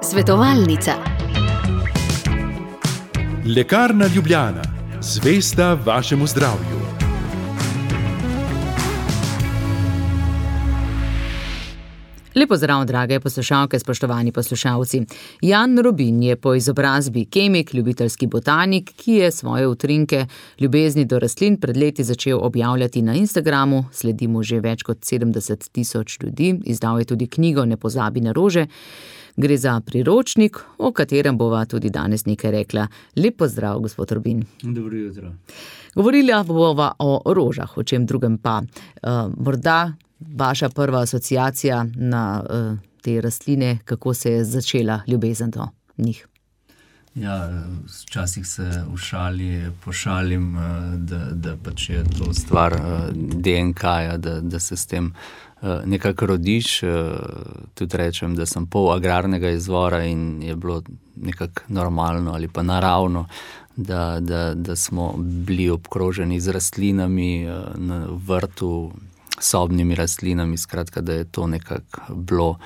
Svetovalnica. Lekarna Ljubljana, zvesta vašemu zdravju. Lepo zdrav, drage poslušalke, spoštovani poslušalci. Jan Robin je po izobrazbi kemik, ljubiteljski botanik, ki je svoje utrinke ljubezni do rastlin pred leti začel objavljati na Instagramu. Sledi mu že več kot 70 000 ljudi. Izdal je tudi knjigo Ne pozabi na rože. Gre za priročnik, o katerem bova tudi danes nekaj rekla. Lep pozdrav, gospod Robin. Dobro jutro. Govorili bova o rožah, o čem drugem pa. Morda vaša prva asociacija na te rastline, kako se je začela ljubezen do njih? Ja, včasih se v šali pošalim, da pač je to stvar DNK-ja, da se s tem nekako rodiš. Tudi rečem, da sem pol agrarnega izvora in je bilo nekako normalno ali pa naravno, da smo bili obkroženi z rastlinami na vrtu, sobnimi rastlinami, skratka, da je to nekako bilo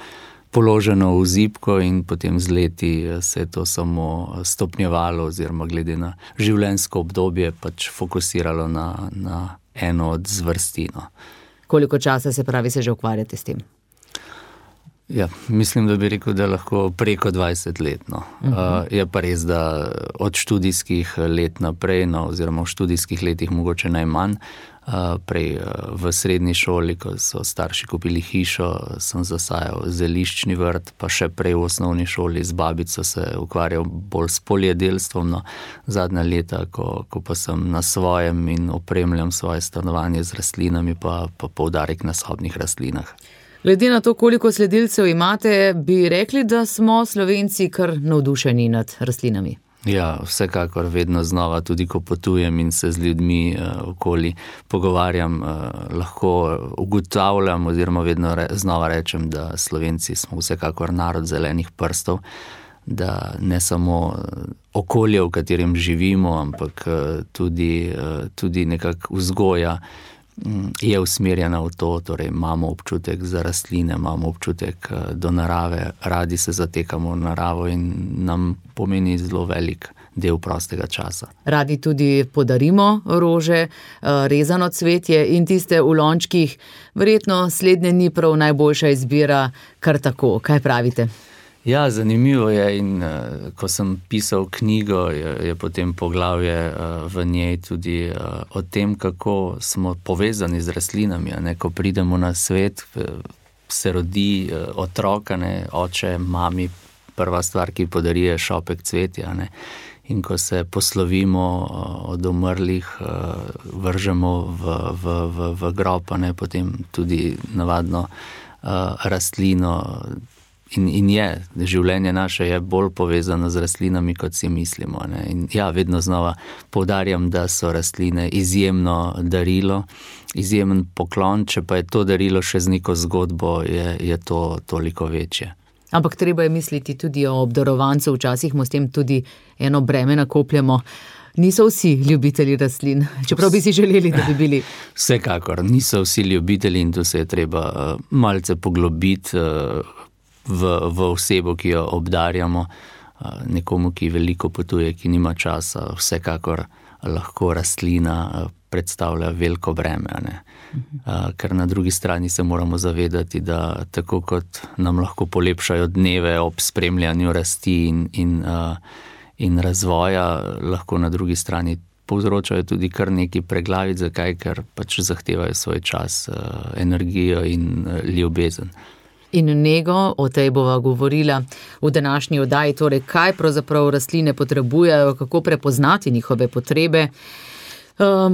položeno v zibko in potem z leti se je to samo stopnjevalo oziroma glede na življenjsko obdobje pač fokusiralo na eno od zvrsti. Koliko časa se že ukvarjate s tem? Ja, mislim, da bi rekel, da lahko preko 20 let. Je pa res, da od študijskih let naprej, oziroma v študijskih letih mogoče najmanj. Prej v srednji šoli, ko so starši kupili hišo, sem zasajal zeliščni vrt, pa še prej v osnovni šoli z babico se ukvarjal bolj s poljedelstvom. Zadnja leta, ko pa sem na svojem in opremljam svoje stanovanje z rastlinami, pa poudarek na sobnih rastlinah. Glede na to, koliko sledilcev imate, bi rekli, da smo Slovenci kar navdušeni nad rastlinami. Ja, vsekakor vedno znova, tudi ko potujem in se z ljudmi okoli pogovarjam, lahko ugotavljam oziroma vedno znova rečem, da Slovenci smo vsekakor narod zelenih prstov, da ne samo okolje, v katerem živimo, ampak tudi nekako vzgoja je usmerjena v to, torej imamo občutek za rastline, imamo občutek do narave, radi se zatekamo v naravo in nam pomeni zelo velik del prostega časa. Radi tudi podarimo rože, rezano cvetje in tiste v lončkih. Verjetno slednje ni prav najboljša izbira kar tako. Kaj pravite? Ja, zanimivo je in ko sem pisal knjigo, je potem poglavje v njej tudi o tem, kako smo povezani z rastlinami. Ko pridemo na svet, se rodi otrok, oče, mami, prva stvar, ki podari, je šopek cvetja. In ko se poslovimo od umrlih, vržemo v grob, potem tudi navadno rastlino. In življenje naše je bolj povezano z rastlinami, kot si mislimo. In ja, vedno znova poudarjam, da so rastline izjemno darilo, izjemen poklon, če pa je to darilo še z neko zgodbo, je to toliko večje. Ampak treba je misliti tudi o obdarovancu, včasih mu s tem tudi eno breme nakopljamo. Niso vsi ljubitelji rastlin, čeprav bi si želeli, da bi bili. Vsekakor, niso vsi ljubitelji in tu se je treba malce poglobiti v osebo, ki jo obdarjamo, nekomu, ki veliko potuje, ki nima časa, vsekakor lahko rastlina predstavlja veliko breme. Ker na drugi strani se moramo zavedati, da tako kot nam lahko polepšajo dneve ob spremljanju rasti in razvoja, lahko na drugi strani povzročajo tudi kar neki preglavic, zakaj, ker pač zahtevajo svoj čas, energijo in ljubezen. In nego, o tej bova govorila v današnji oddaji, torej kaj pravzaprav rastline potrebujejo, kako prepoznati njihove potrebe,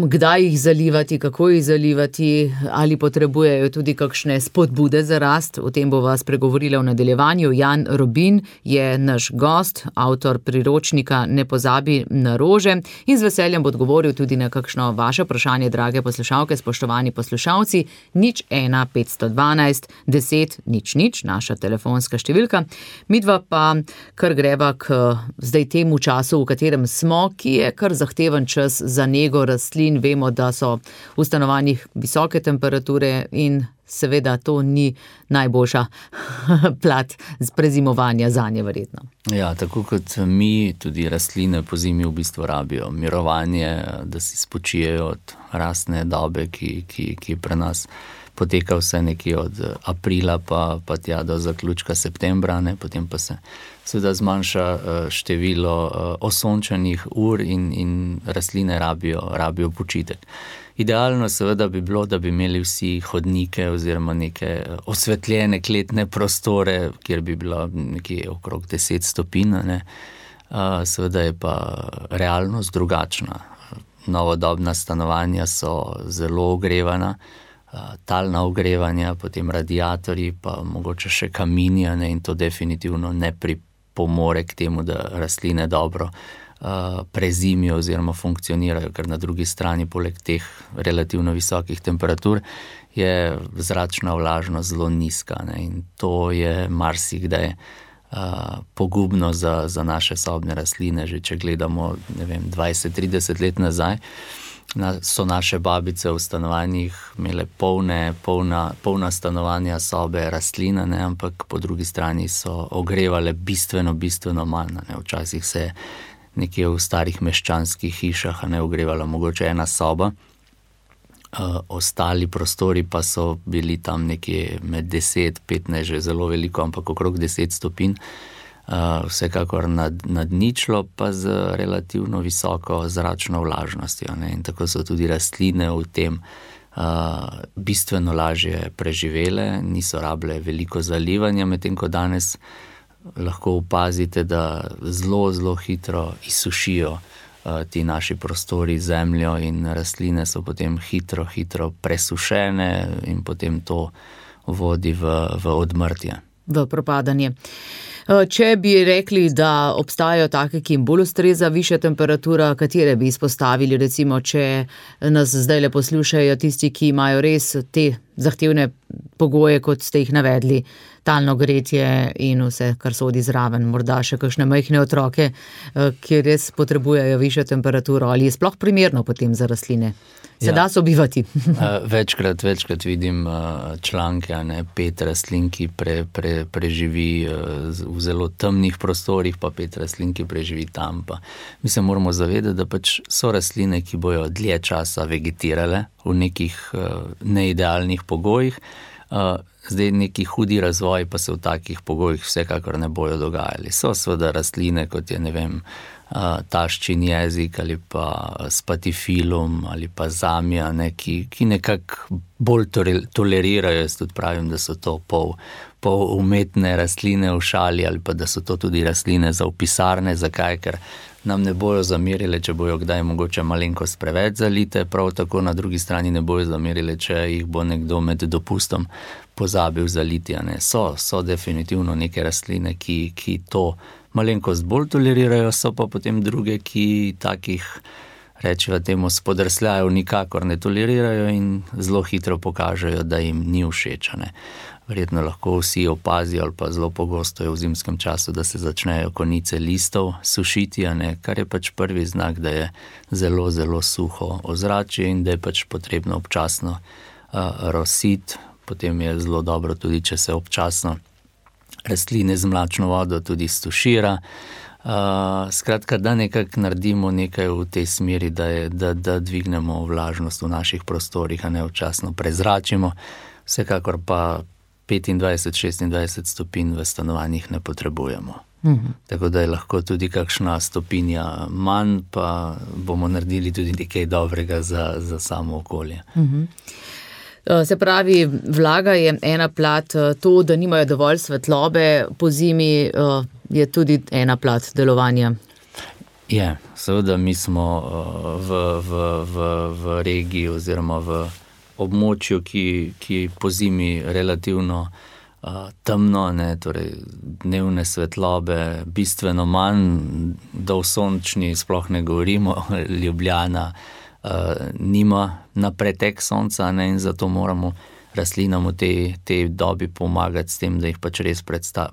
kdaj jih zalivati, kako jih zalivati, ali potrebujejo tudi kakšne spodbude za rast. O tem bova spregovorila v nadaljevanju. Jan Robin je naš gost, avtor priročnika Ne pozabi na rože in z veseljem bo odgovoril tudi na kakšno vaše vprašanje, drage poslušalke, spoštovani poslušalci. 01 512 10 00, naša telefonska številka. Midva pa kar greva k zdaj temu času, v katerem smo, ki je kar zahteven čas za nego rastlin. Vemo, da so v stanovanjih visoke temperature in seveda to ni najboljša plat prezimovanja zanje verjetno. Ja, tako kot mi, tudi rastline po zimi v bistvu rabijo mirovanje, da si spočijejo od rastne dobe, ki pri nas poteka vse nekje od aprila pa tja do zaključka septembra, ne? Potem pa se seveda zmanjša število osončenih ur in rastline rabijo počitek. Idealno seveda bi bilo, da bi imeli vsi hodnike oziroma neke osvetljene kletne prostore, kjer bi bilo nekje okrog 10 stopinj, ne? Seveda je pa realnost drugačna. Novodobna stanovanja so zelo ogrevana, talna ogrevanja, potem radiatorji, pa mogoče še kamini, ne? In to definitivno ne pripomore k temu, da rastline dobro prezimijo oziroma funkcionirajo, ker na drugi strani poleg teh relativno visokih temperatur je zračna vlažnost zelo nizka, ne? In to je marsikdaj pogubno za naše sobne rastline. Že če gledamo, 20-30 let nazaj, so naše babice v stanovanjih imele polna stanovanja, sobe, rastline, ne? Ampak po drugi strani so ogrevale bistveno manj, ne? Včasih se nekje v starih meščanskih hišah ogrevala mogoče ena soba, ostali prostori pa so bili tam nekje med 10-15, že zelo veliko, ampak okrog 10 stopinj, vsekakor nad ničlo, pa z relativno visoko zračno vlažnostjo, ne? In tako so tudi rastline v tem bistveno lažje preživele, niso rabile veliko zalivanja, medtem ko danes lahko opazite, da zelo hitro izsušijo ti naši prostori, zemljo, in rastline so potem hitro presušene in potem to vodi v odmrtje. V propadanje. Če bi rekli, da obstajajo take, ki jim bolj ustreza višja temperatura, katere bi izpostavili, recimo, če nas zdajle poslušajo tisti, ki imajo res te zahtevne pogoje, kot ste jih navedli, talno gretje in vse, kar sodi zraven, morda še kakšne majhne otroke, ki res potrebujejo višjo temperaturo, ali je sploh primerno potem za rastline? Se da sobivati? Večkrat vidim članke, 5 rastlin, ki preživi v zelo temnih prostorih, pa 5 rastlin, ki preživi tam. Mi se moramo zavedati, da pač so rastline, ki bojo dlje časa vegetirale v nekih neidealnih pogojih. Zdaj neki hudi razvoj pa se v takih pogojih vsekakor ne bojo dogajali. So seveda rastline, kot je, taščin jezik ali pa spatifilum ali pa zamija, ki nekako bolj tolerirajo. Jaz tudi pravim, da so to pol umetne rastline v šali, ali pa da so to tudi rastline za v pisarne. Zakaj? Ker nam ne bojo zamerile, če bojo kdaj mogoče malenkost preveč zalite, prav tako na drugi strani ne bojo zamerile, če jih bo nekdo med dopustom pozabil zaliti. So definitivno neke rastline, ki to malenkost bolj tolerirajo, so pa potem druge, ki takih, rečeva temu, spodrsljajev nikakor ne tolerirajo in zelo hitro pokažejo, da jim ni všeč. Verjetno lahko vsi opazijo, ali pa zelo pogosto je v zimskem času, da se začnejo konice listov sušiti, kar je pač prvi znak, da je zelo suho ozračje in da je pač potrebno občasno rositi. Potem je zelo dobro tudi, če se občasno rastline z mlačno vodo tudi stušira. Skratka, da nekako naredimo nekaj v tej smeri, da dvignemo vlažnost v naših prostorih, občasno prezračimo. Vsekakor pa 25-26 stopinj v stanovanjih ne potrebujemo. Tako da je lahko tudi kakšna stopinja manj, pa bomo naredili tudi nekaj dobrega za samo okolje. Se pravi, vlaga je ena plat, to, da nimajo dovolj svetlobe po zimi, je tudi ena plat delovanja. Je, seveda mi smo v regiji oziroma v območju, ki po zimi relativno temno, torej dnevne svetlobe bistveno manj, do sončni sploh ne govorimo, Ljubljana nima na pretek sonca, in zato moramo rastlinam v tej dobi pomagati s tem, da jih pač res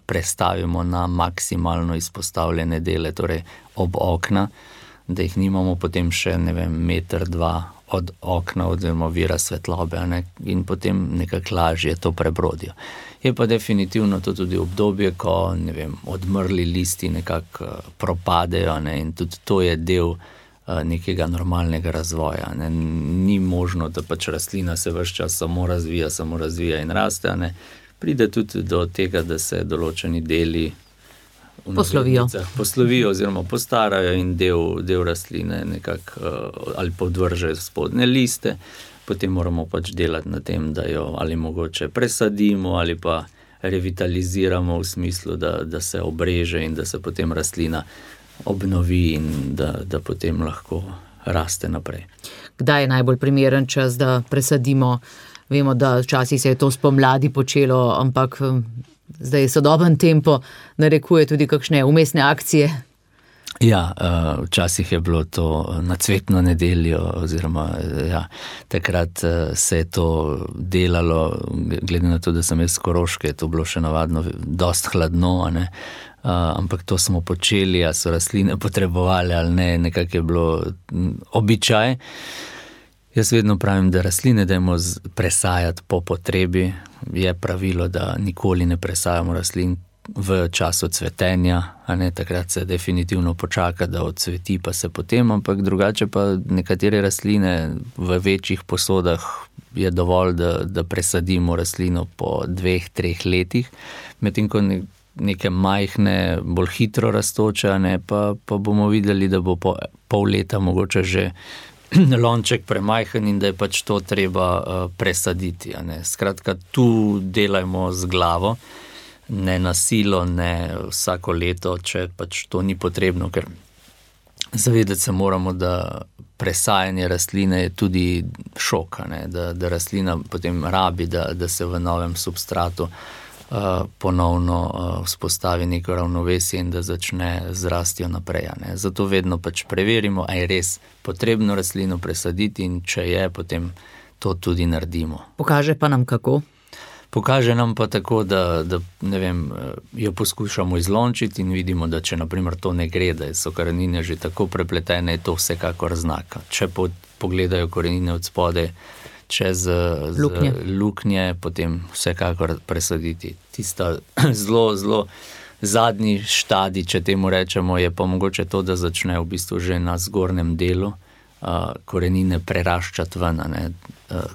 prestavimo na maksimalno izpostavljene dele, torej ob okna, da jih nimamo potem še, ne vem, meter, dva od okna oziroma vira svetlobe, ne, in potem nekako lažje to prebrodijo. Je pa definitivno to tudi obdobje, ko, ne vem, odmrli listi nekako propadejo, ne, in tudi to je del nekega normalnega razvoja. Ne. Ni možno, da pač rastlina se ves čas samo razvija in raste, ne. Pride tudi do tega, da se določeni deli poslovijo oziroma postarajo in del rastline nekako ali podvržejo spodnje liste, potem moramo pač delati na tem, da jo ali mogoče presadimo ali pa revitaliziramo v smislu, da se obreže in da se potem rastlina obnovi in da potem lahko raste naprej. Kdaj je najbolj primeren čas, da presadimo? Vemo, da včasih se je to spomladi počelo, ampak zdaj sodoben tempo narekuje tudi kakšne vmesne akcije. Ja, včasih je bilo to na cvetno nedeljo oziroma takrat se je to delalo, glede na to, da sem jaz s Koroške, je to bilo še navadno dost hladno, ne? Ampak to smo počeli, a so rastline potrebovali ali ne, nekako je bilo običaj. Jaz vedno pravim, da rastline dajmo presajati po potrebi. Je pravilo, da nikoli ne presajamo rastlin v času cvetenja, a ne, takrat se definitivno počaka, da odsveti pa se potem, ampak drugače pa nekatere rastline v večjih posodah je dovolj, da presadimo rastlino po 2-3 letih, medtem ko neke majhne, bolj hitro rastoče, ne, pa bomo videli, da bo po pol leta mogoče že lonček premajhen in da je pač to treba presaditi. Ne. Skratka, tu delajmo z glavo, ne na silo, ne vsako leto, če pač to ni potrebno, ker zavedati se moramo, da presajanje rastline je tudi šok, ne, da rastlina potem rabi, da se v novem substratu ponovno vzpostavi neko ravnovesje in da začne z rastjo naprej. Ne. Zato vedno pač preverimo, a je res potrebno rastlino presaditi in če je, potem to tudi naredimo. Pokaže pa nam kako? Pokaže nam pa tako, da ne vem, jo poskušamo izlončiti in vidimo, da če naprimer to ne gre, da so korenine že tako prepletene, je to vsekakor znak. Če pogledajo korenine od spodaj čez luknje, potem vsekakor presaditi. Tista zelo zadnji štadij, če temu rečemo, je pa mogoče to, da začne v bistvu že na zgornjem delu korenine preraščati ven, ne,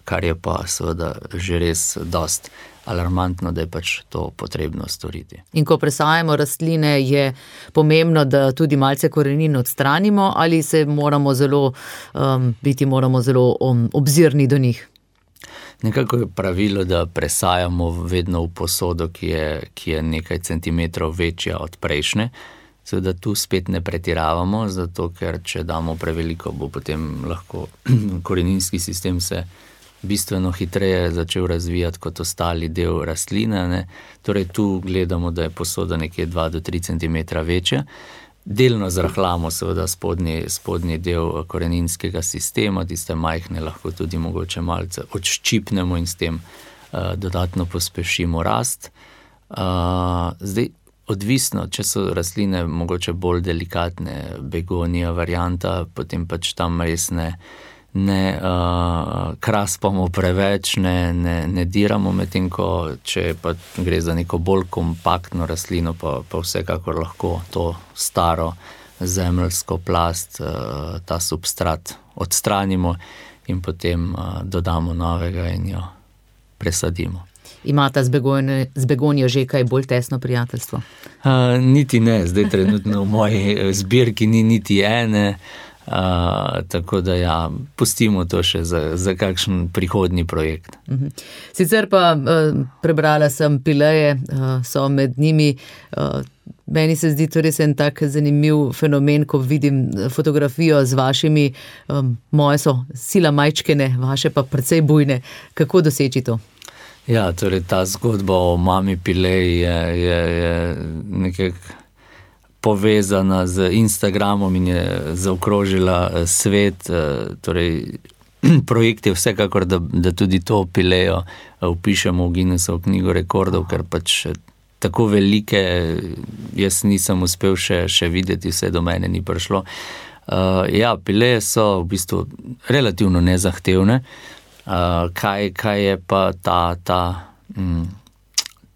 kar je pa seveda že res dost alarmantno, da je pač to potrebno storiti. In ko presajamo rastline, je pomembno, da tudi malce korenin odstranimo ali se moramo zelo obzirni do njih? Nekako je pravilo, da presajamo vedno v posodo, ki je nekaj centimetrov večja od prejšnje. Seveda tu spet ne pretiravamo, zato ker če damo preveliko, bo potem lahko koreninski sistem se bistveno hitreje začel razvijati kot ostali del rastline, ne. Torej tu gledamo, da je posoda nekje 2 do 3 cm večja. Delno zrahljamo seveda spodnji del koreninskega sistema, tiste majhne lahko tudi mogoče malce odščipnemo in s tem dodatno pospešimo rast. Zdaj, odvisno, če so rastline mogoče bolj delikatne, begonija varianta, potem pač tam res ne kraspamo preveč, ne diramo, medtem ko če pa gre za neko bolj kompaktno rastlino, pa vsekakor lahko to staro zemeljsko plast, ta substrat odstranimo in potem dodamo novega in jo presadimo. Imata z begonijo že kaj bolj tesno prijateljstvo? Niti ne, zdaj trenutno v moji zbirki ni niti ene, tako da ja, pustimo to še za kakšen prihodnji projekt. Sicer pa prebrala sem pileje, so med njimi, meni se zdi to res en tak zanimiv fenomen, ko vidim fotografijo z vašimi, moje so sila majčkene, vaše pa precej bujne. Kako doseči to? Ja, torej ta zgodba o mami pileji je nekako povezana z Instagramom in je zaokrožila svet, torej projekt je vsekakor, da tudi to pilejo vpišemo v Guinnessovo knjigo rekordov, ker pač tako velike jaz nisem uspel še videti, vse do mene ni prišlo. Pileje so v bistvu relativno nezahtevne. Kaj je pa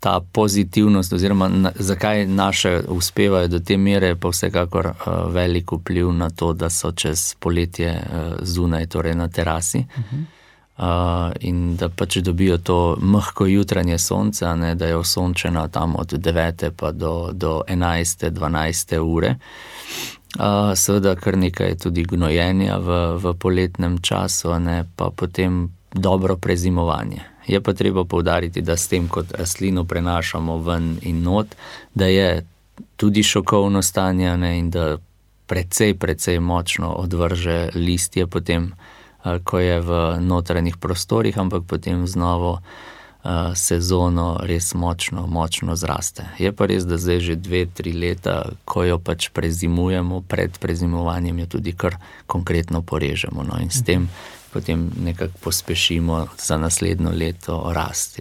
ta pozitivnost oziroma zakaj naše uspevajo do te mere, pa vsekakor velik vpliv na to, da so čez poletje zunaj, torej na terasi. In da pač dobijo to mehko jutranje sonce, da je osončena tam od 9. pa do 11. 12. ure. Seveda kar nekaj tudi gnojenja v poletnem času, pa potem dobro prezimovanje. Je pa treba poudariti, da s tem, kot rastlino prenašamo ven in not, da je tudi šokovno stanje in da precej močno odvrže listje potem, ko je v notranjih prostorih, ampak potem z novo sezono res močno zraste. Je pa res, da zdaj že 2-3 leta, ko jo pač prezimujemo, pred prezimovanjem jo tudi kar konkretno porežemo. In s tem potem nekako pospešimo za naslednjo leto rast.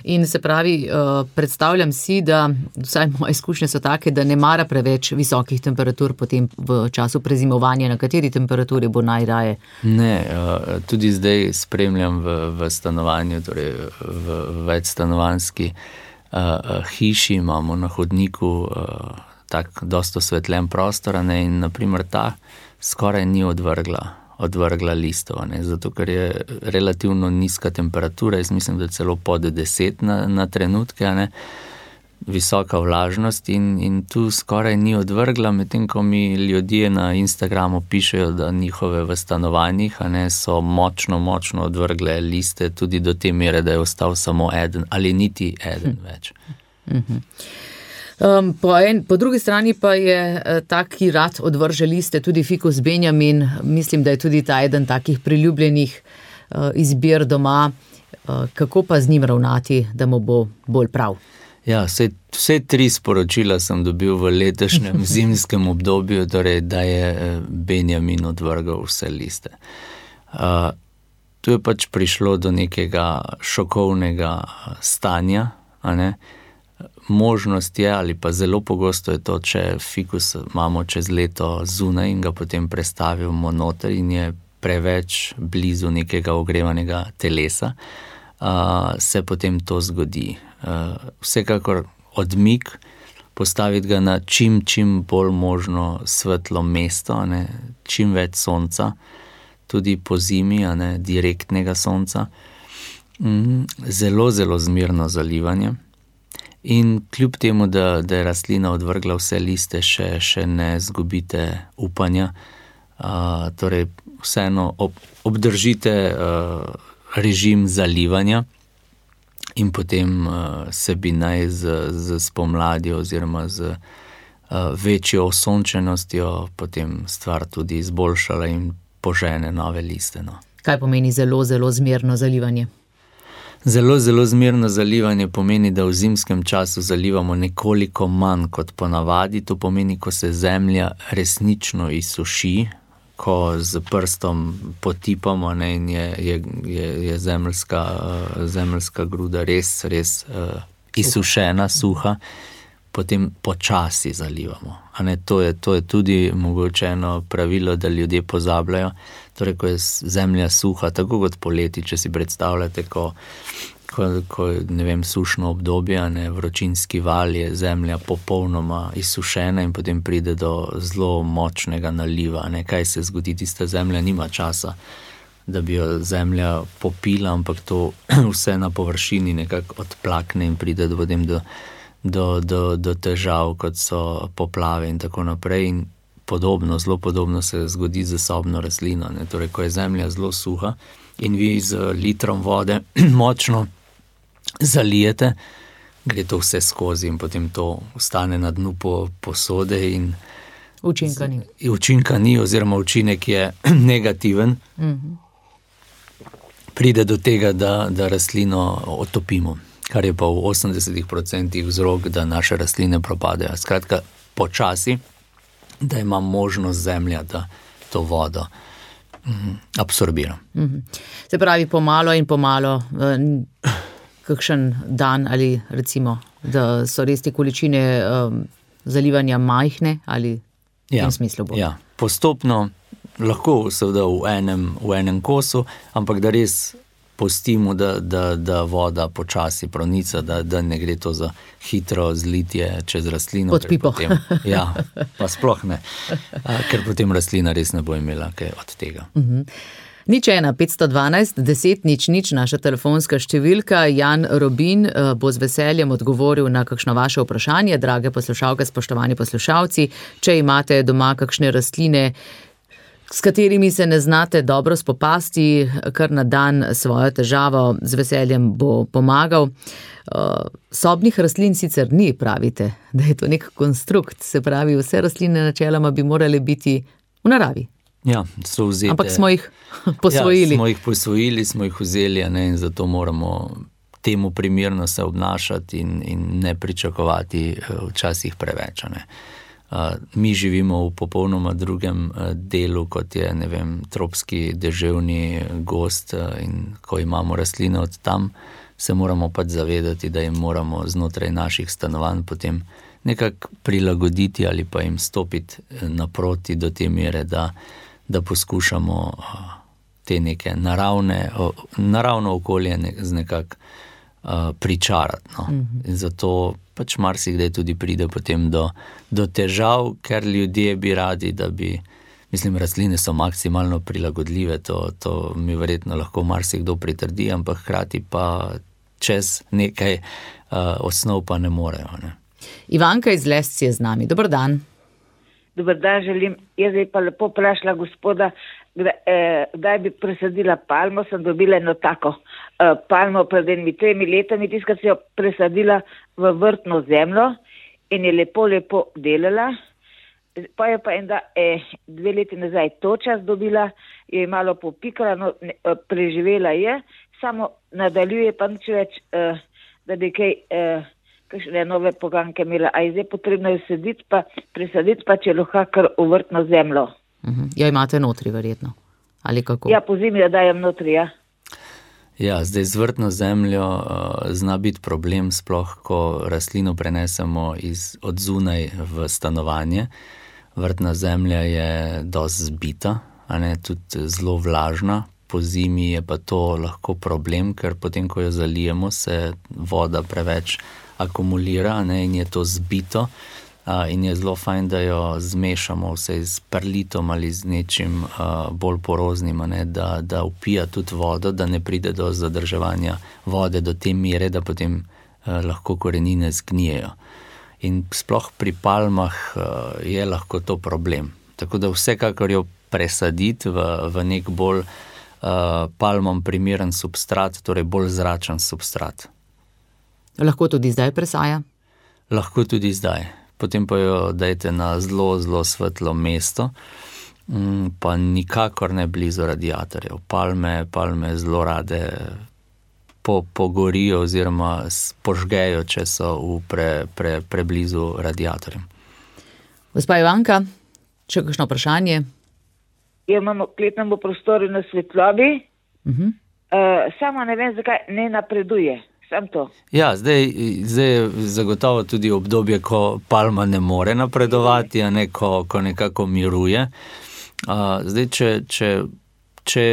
In se pravi, predstavljam si, da vsaj moje izkušnje so take, da ne mara preveč visokih temperatur potem v času prezimovanja. Na kateri temperaturi bo najraje? Ne, tudi zdaj spremljam v stanovanju, torej v večstanovanjski hiši, imamo na hodniku tak dosto osvetljen prostor, in naprimer ta skoraj ni odvrgla listov, zato ker je relativno nizka temperatura, jaz mislim, da celo pod 10 na trenutke, visoka vlažnost in tu skoraj ni odvrgla, medtem ko mi ljudje na Instagramu pišejo, da njihove v stanovanjih so močno odvrgle liste, tudi do te mere, da je ostal samo eden ali niti eden več. Po drugi strani pa je tak, ki rad odvrže liste, tudi fikus Benjamin. Mislim, da je tudi ta eden takih priljubljenih izbir doma. Kako pa z njim ravnati, da mu bo bolj prav? Ja, vse 3 sporočila sem dobil v letošnjem zimskem obdobju, torej, da je Benjamin odvrgal vse liste. Tu je pač prišlo do nekega šokovnega stanja, Možnost je, ali pa zelo pogosto je to, če fikus imamo čez leto zunaj in ga potem prestavimo noter in je preveč blizu nekega ogrevanega telesa, se potem to zgodi. Vsekakor odmik, postaviti ga na čim bolj možno svetlo mesto, čim več sonca, tudi po zimi, direktnega sonca. Zelo zmerno zalivanje. In kljub temu, da je rastlina odvrgla vse liste, še ne zgubite upanja. Torej, vseeno obdržite režim zalivanja in potem se bi naj z spomladjo oziroma z večjo osončenostjo potem stvar tudi izboljšala in požene nove liste. Kaj pomeni zelo zmerno zalivanje? Zelo zmerno zalivanje pomeni, da v zimskem času zalivamo nekoliko manj kot ponavadi. To pomeni, ko se zemlja resnično izsuši, ko z prstom potipamo in je zemeljska gruda res izsušena, suha, potem počasi zalivamo. To je tudi mogoče eno pravilo, da ljudje pozabljajo. Torej, ko je zemlja suha, tako kot poleti, če si predstavljate, ko sušno obdobje, vročinski val, je zemlja popolnoma izsušena in potem pride do zelo močnega naliva. Kaj se zgodi, tista zemlja nima časa, da bi jo zemlja popila, ampak to vse na površini nekako odplakne in pride potem do težav, kot so poplave in tako naprej. In zelo podobno se zgodi z sobno rastlino. Torej, ko je zemlja zelo suha in vi z litrom vode močno zalijete, gre to vse skozi in potem to ostane na dnu posode in učinka ni oziroma učinek je negativen. Pride do tega, da rastlino otopimo, kar je pa v 80% vzrok, da naše rastline propadajo. Skratka, počasi, da ima možnost zemlja, da to vodo absorbira. Se pravi, pomalo in pomalo, kakšen dan ali recimo, da so res te količine zalivanja majhne ali v tem smislu bo? Ja, postopno, lahko seveda v enem kosu, ampak da res pustimo, da voda počasi pronica, da ne gre to za hitro zlitje čez rastlino. Pod pipo. Ja, pa sploh ne, ker potem rastlina res ne bo imela kaj od tega. 01 512 10 00, naša telefonska številka. Jan Robin bo z veseljem odgovoril na kakšno vaše vprašanje. Drage poslušalke, spoštovani poslušalci, če imate doma kakšne rastline, s katerimi se ne znate dobro spopasti, kar na dan svojo težavo, z veseljem bo pomagal. Sobnih rastlin sicer ni, pravite, da je to nek konstrukt, se pravi, vse rastline načeloma bi morale biti v naravi. Ja, so vzete. Ampak smo jih posvojili. Ja, smo jih posvojili, smo jih vzeli, in zato moramo temu primerno se obnašati in ne pričakovati včasih preveč. Mi živimo v popolnoma drugem delu, kot je, ne vem, tropski deževni gozd, in ko imamo rastline od tam, se moramo pač zavedati, da jim moramo znotraj naših stanovanj potem nekako prilagoditi ali pa jim stopiti naproti do te mere, da poskušamo te neke naravno okolje nekako pričarati. In zato pač marsikdaj tudi pride potem do težav, ker ljudje bi radi, da bi, mislim, rastline so maksimalno prilagodljive, to mi verjetno lahko marsikdo pritrdi, ampak hkrati pa čez nekaj osnov pa ne morejo. Ne. Ivanka iz Lesc je z nami. Dober dan. Dober dan želim. Jaz bi pa lepo vprašala gospoda, kdaj bi presadila palmo. Sem dobila eno tako palmo pred 3 letami, tiskrat si jo presadila v vrtno zemljo in je lepo delala. Pa je pa 2 leti nazaj toča dobila, je malo popikala, no, preživela je, samo nadaljuje pa nič več, da bi kaj kakšne nove poganke imela, a je zdaj potrebno jo presaditi pa če lahko kar v vrtno zemljo. Ja, imate notri verjetno, ali kako? Ja, po zimi jo dajem notri, ja. Ja, zdaj z vrtno zemljo zna biti problem, sploh ko rastlino prenesemo od zunaj v stanovanje. Vrtna zemlja je dosti zbita, tudi zelo vlažna. Po zimi je pa to lahko problem, ker potem, ko jo zalijemo, se voda preveč akumulira, in je to zbito. In je zelo fajn, da jo zmešamo vse z perlitom ali z nečim bolj poroznim, da vpija tudi vodo, da ne pride do zadrževanja vode do te mere, da potem lahko korenine zgnijejo. In sploh pri palmah je lahko to problem. Tako da vsekakor jo presaditi v nek bolj palmom primeren substrat, torej bolj zračen substrat. Lahko tudi zdaj presaja? Lahko tudi zdaj. Potem pa jo dajte na zelo, zelo svetlo mesto, pa nikakor ne blizu radiatorjev. Palme zelo rade pogorijo oziroma požgejo, če so preblizu radiatorjem. Gospa Ivanka, še kakšno vprašanje? Ja, imamo v kletnem prostoru na svetlobi, samo ne vem, zakaj ne napreduje. Ja, zdaj je zagotovo tudi obdobje, ko palma ne more napredovati, ko nekako miruje. Zdaj, če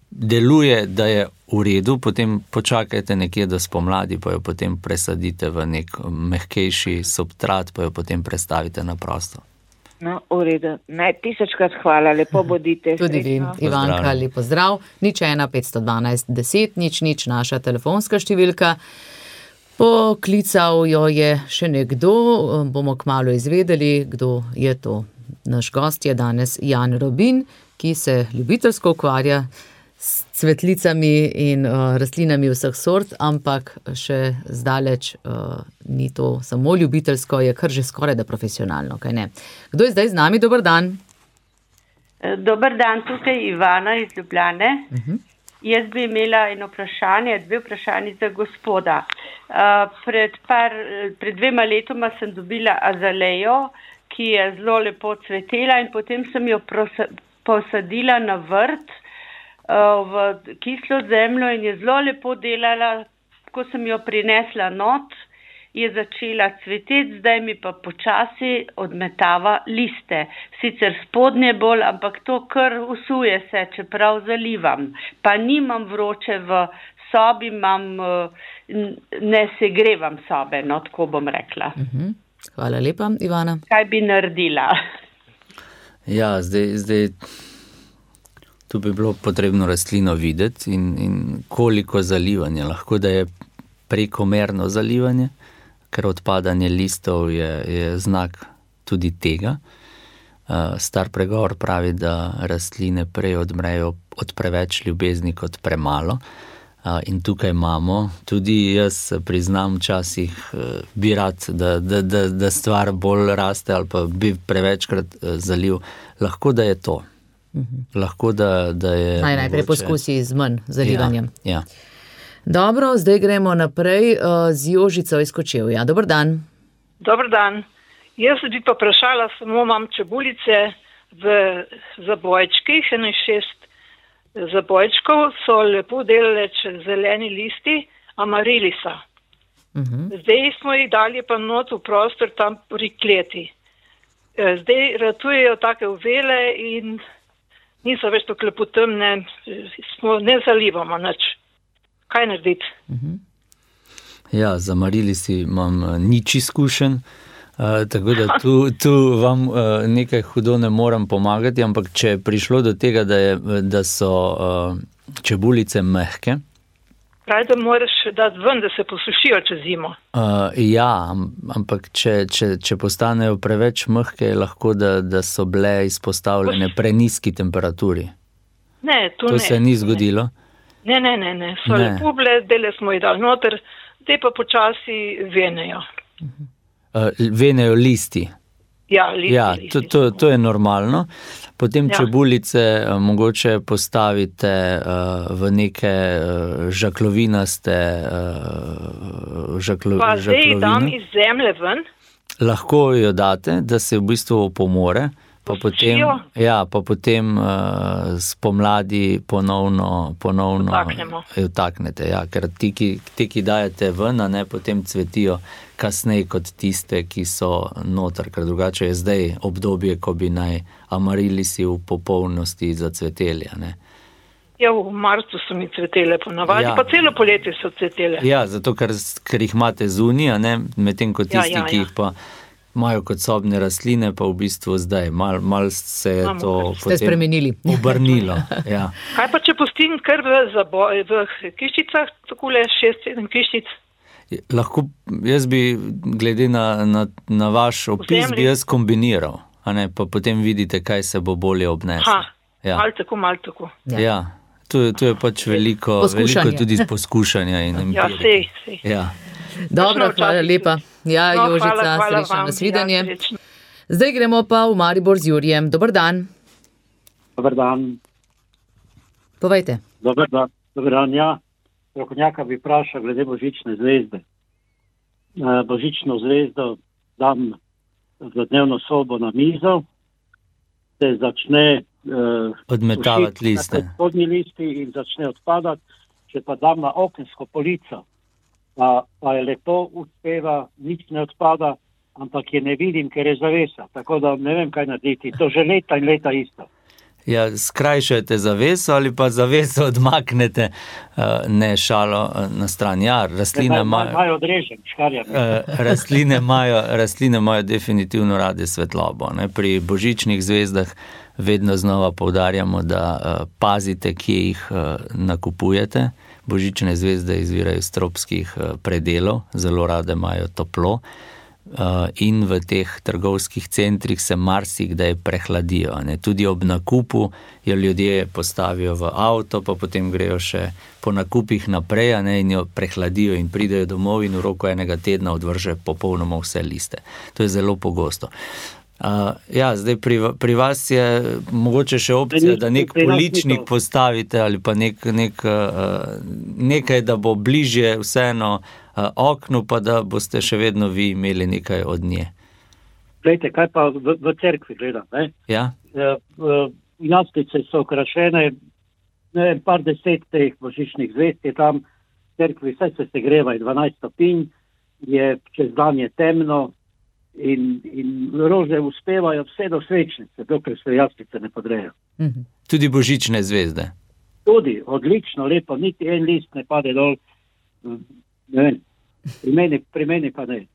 deluje, da je v redu, potem počakajte nekje do spomladi, pa jo potem presadite v nek mehkejši substrat, pa jo potem prestavite na prosto. No, v redu. 1000krat hvala, lepo bodite. Tudi vi, Ivanka, lepo zdrav. 01 512 10 00, naša telefonska številka. Poklical jo je še nekdo, bomo kmalu izvedeli, kdo je to. Naš gost je danes Jan Robin, ki se ljubiteljsko ukvarja s cvetlicami in rastlinami vseh sort, ampak še zdaleč ni to samo ljubiteljsko, je kar že skoraj da profesionalno, kaj ne. Kdo je zdaj z nami? Dober dan. Dober dan, tukaj Ivana iz Ljubljane. Jaz bi imela eno vprašanje, 2 vprašanje za gospoda. Pred 2 letoma sem dobila azalejo, ki je zelo lepo cvetela in potem sem jo posadila na vrt v kislo zemljo in je zelo lepo delala, ko sem jo prinesla not je začela cveteti, zdaj mi pa počasi odmetava liste. Sicer spodnje bolj, ampak to kar usuje se, čeprav zalivam. Pa nimam vroče v sobi, ne segrevam sobe, no, tako bom rekla. Hvala lepa, Ivana. Kaj bi naredila? Ja, zdaj tu bi bilo potrebno rastlino videti in koliko zalivanja. Lahko, da je prekomerno zalivanje, ker odpadanje listov je znak tudi tega. Star pregovor pravi, da rastline prej odmrejo od preveč ljubezni kot premalo. In tukaj imamo, tudi jaz priznam včasih bi rad, da stvar bolj raste ali pa bi prevečkrat zaliv. Lahko, da je to. Lahko, da je... Najprej poskusi z manj zalivanjem. Ja. Dobro, zdaj gremo naprej z Jožico iz Kočevja. Dober dan. Dober dan. Jaz bi pa vprašala, samo imam čebulice v zabojčkih, 6 zabojčkov, so lepo delale zeleni listi, amarilisa. Zdaj smo jih dali pa not v prostor tam pri kleti. Zdaj ratujejo take uvele in niso več tako lepo temne, ne zalivamo nič. Kaj narediti? Ja, z amarilisi imam nič izkušenj, tako da tu vam nekaj hudo ne moram pomagati, ampak če je prišlo do tega, da so čebulice mehke. Pravi, da moraš dati ven, da se posušijo čez zimo. Ja, ampak če postanejo preveč mehke, je lahko, da so bile izpostavljene prenizki temperaturi. Ne, to se ni zgodilo? Ne. So lepo bile, dele smo jih dali noter, te pa počasi venejo. Venejo listi? Ja, listi. To je normalno. Potem čebulice mogoče postavite v neke žaklovinaste žaklovine. Pa zdaj dam iz zemlje ven? Lahko jo date, da se v bistvu opomore, pa potem spomladi ponovno vtaknete. Ja, ker ti, ki dajete ven, ne, potem cvetijo kasneje kot tiste, ki so noter, ker drugače je zdaj obdobje, ko bi naj amarilisi v popolnosti zacveteli. Ne. Ja, v marcu so mi cvetele ponavadi, pa celo poletje so cvetele. Ja, zato ker jih imate zunija, medtem kot tisti, ki jih pa imajo kot sobne rastline, pa v bistvu zdaj mal se je to potem obrnilo. Ja. Kaj pa, če pustim kar v kiščicah, takole 6-7 kiščic? Lahko, jaz bi, glede na vaš opis, bi jaz kombiniral, pa potem vidite, kaj se bo bolje obneslo. Ja. Mal tako. Ja, tu je pač veliko tudi poskušanja in empirike. Ja, sej. Ja. Dobro, hvala lepa. Ja, Jožica, srečno nasvidenje. Zdaj gremo pa v Maribor z Jurijem. Dober dan. Dober dan. Povejte. Dober dan, ja. Strokovnjaka bi vprašal glede božične zvezde. Božično zvezdo dam v dnevno sobo na mizo, se začne odmetavati liste. Spodnji listi in začne odpadati, če pa dam na okensko polico, pa je lepo uspeva, nič ne odpada, ampak je ne vidim, ker je zavesa. Tako da ne vem, kaj narediti. To že leta in leta isto. Ja, skrajšajte zaveso ali pa zaveso odmaknete, ne šalo na stran. Ja, rastline imajo odrežen, škarjami. Rastline imajo definitivno rade svetlobo. Ne? Pri božičnih zvezdah vedno znova poudarjamo, da pazite, kje jih nakupujete. Božične zvezde izvirajo iz tropskih predelov, zelo rade imajo toplo. In v teh trgovskih centrih se marsikdaj prehladijo. Ne? Tudi ob nakupu jo ljudje postavijo v avto, pa potem grejo še po nakupih naprej, in jo prehladijo in pridejo domov in v roku enega tedna odvrže popolnoma vse liste. To je zelo pogosto. Ja, zdaj pri vas je mogoče še opcija, da nek poličnik postavite ali pa nekaj, da bo bližje vseeno oknu, pa da boste še vedno vi imeli nekaj od nje. Glejte, kaj pa v cerkvi gledam, ne? Ja? Jaslice so okrašene, ne vem, par 10 teh božičnih zvezd je tam v cerkvi, vse se segreva 12 stopinj je čez dan je temno in rože uspevajo vse do svečnice, dokler se jaspice ne podrejo. Tudi božične zvezde. Tudi, odlično, lepo, niti en list ne pade dol, ne vem, pri meni pa ne.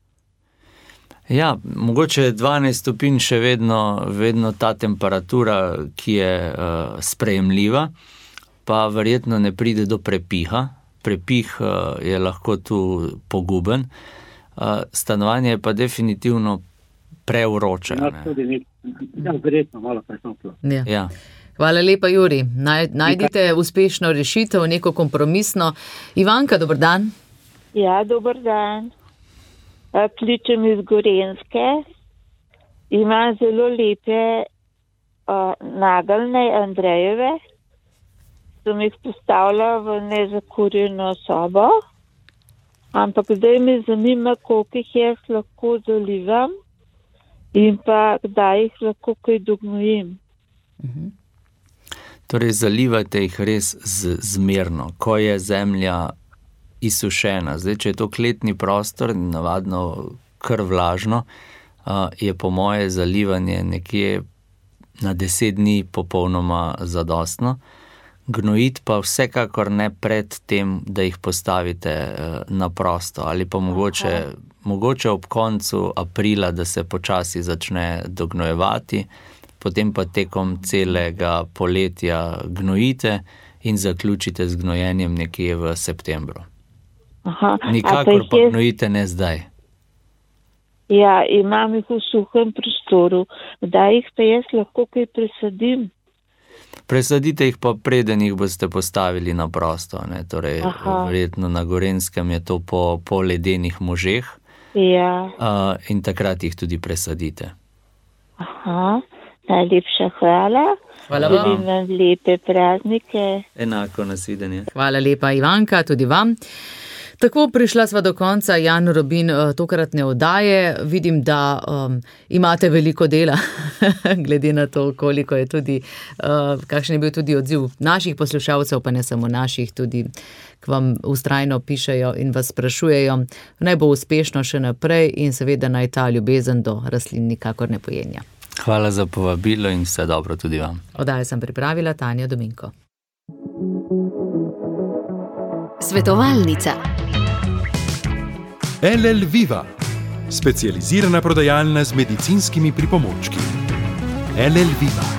Ja, mogoče je 12 stopinj še vedno ta temperatura, ki je sprejemljiva, pa verjetno ne pride do prepiha. Prepih je lahko tu poguben. Stanovanje je pa definitivno prevroče. Ja, verjetno malo presoplo. Ja. Hvala lepa, Juri. Najdite uspešno rešitev, neko kompromisno. Ivanka, dober dan. Ja, dober dan. Kličem iz Gorenjske. Imam zelo lepe nageljne Andrejeve. Sem jih postavila v nezakurjeno sobo. Ampak zdaj me zanima, koliko jih jaz lahko zalivam in pa kdaj jih lahko kaj dognojim. Torej, zalivajte jih res zmerno, ko je zemlja izsušena. Zdaj, če je to kletni prostor, navadno kar vlažno, je po moje zalivanje nekje na 10 dni popolnoma zadostno. Gnojiti pa vsekakor ne pred tem, da jih postavite na prosto, ali pa mogoče ob koncu aprila, da se počasi začne dognojevati, potem pa tekom celega poletja gnojite in zaključite z gnojenjem nekje v septembru. Nikakor pa gnojite ne zdaj. Ja, imam jih v suhem prostoru. Kdaj jih pa jaz lahko kaj presadim? Presadite jih pa preden jih boste postavili na prosto. Torej, verjetno na Gorenjskem je to po ledenih možeh. Ja. In takrat jih tudi presadite. Najlepša hvala. Hvala vam. Želim vam lepe praznike. Enako, nasvidenje. Hvala lepa, Ivanka, tudi vam. Tako, prišla sva do konca, Jan Robin, tokratne oddaje. Vidim, da imate veliko dela, glede na to, koliko je tudi, kakšen je bil tudi odziv naših poslušalcev, pa ne samo naših, tudi k vam vztrajno pišejo in vas sprašujejo. Naj bo uspešno še naprej in seveda naj ta ljubezen do rastlin nikakor ne pojenja. Hvala za povabilo in vse dobro tudi vam. Oddajo sem pripravila Tanja Dominko. Svetovalnica. LL Viva, specializirana prodajalna z medicinskimi pripomočki. LL Viva.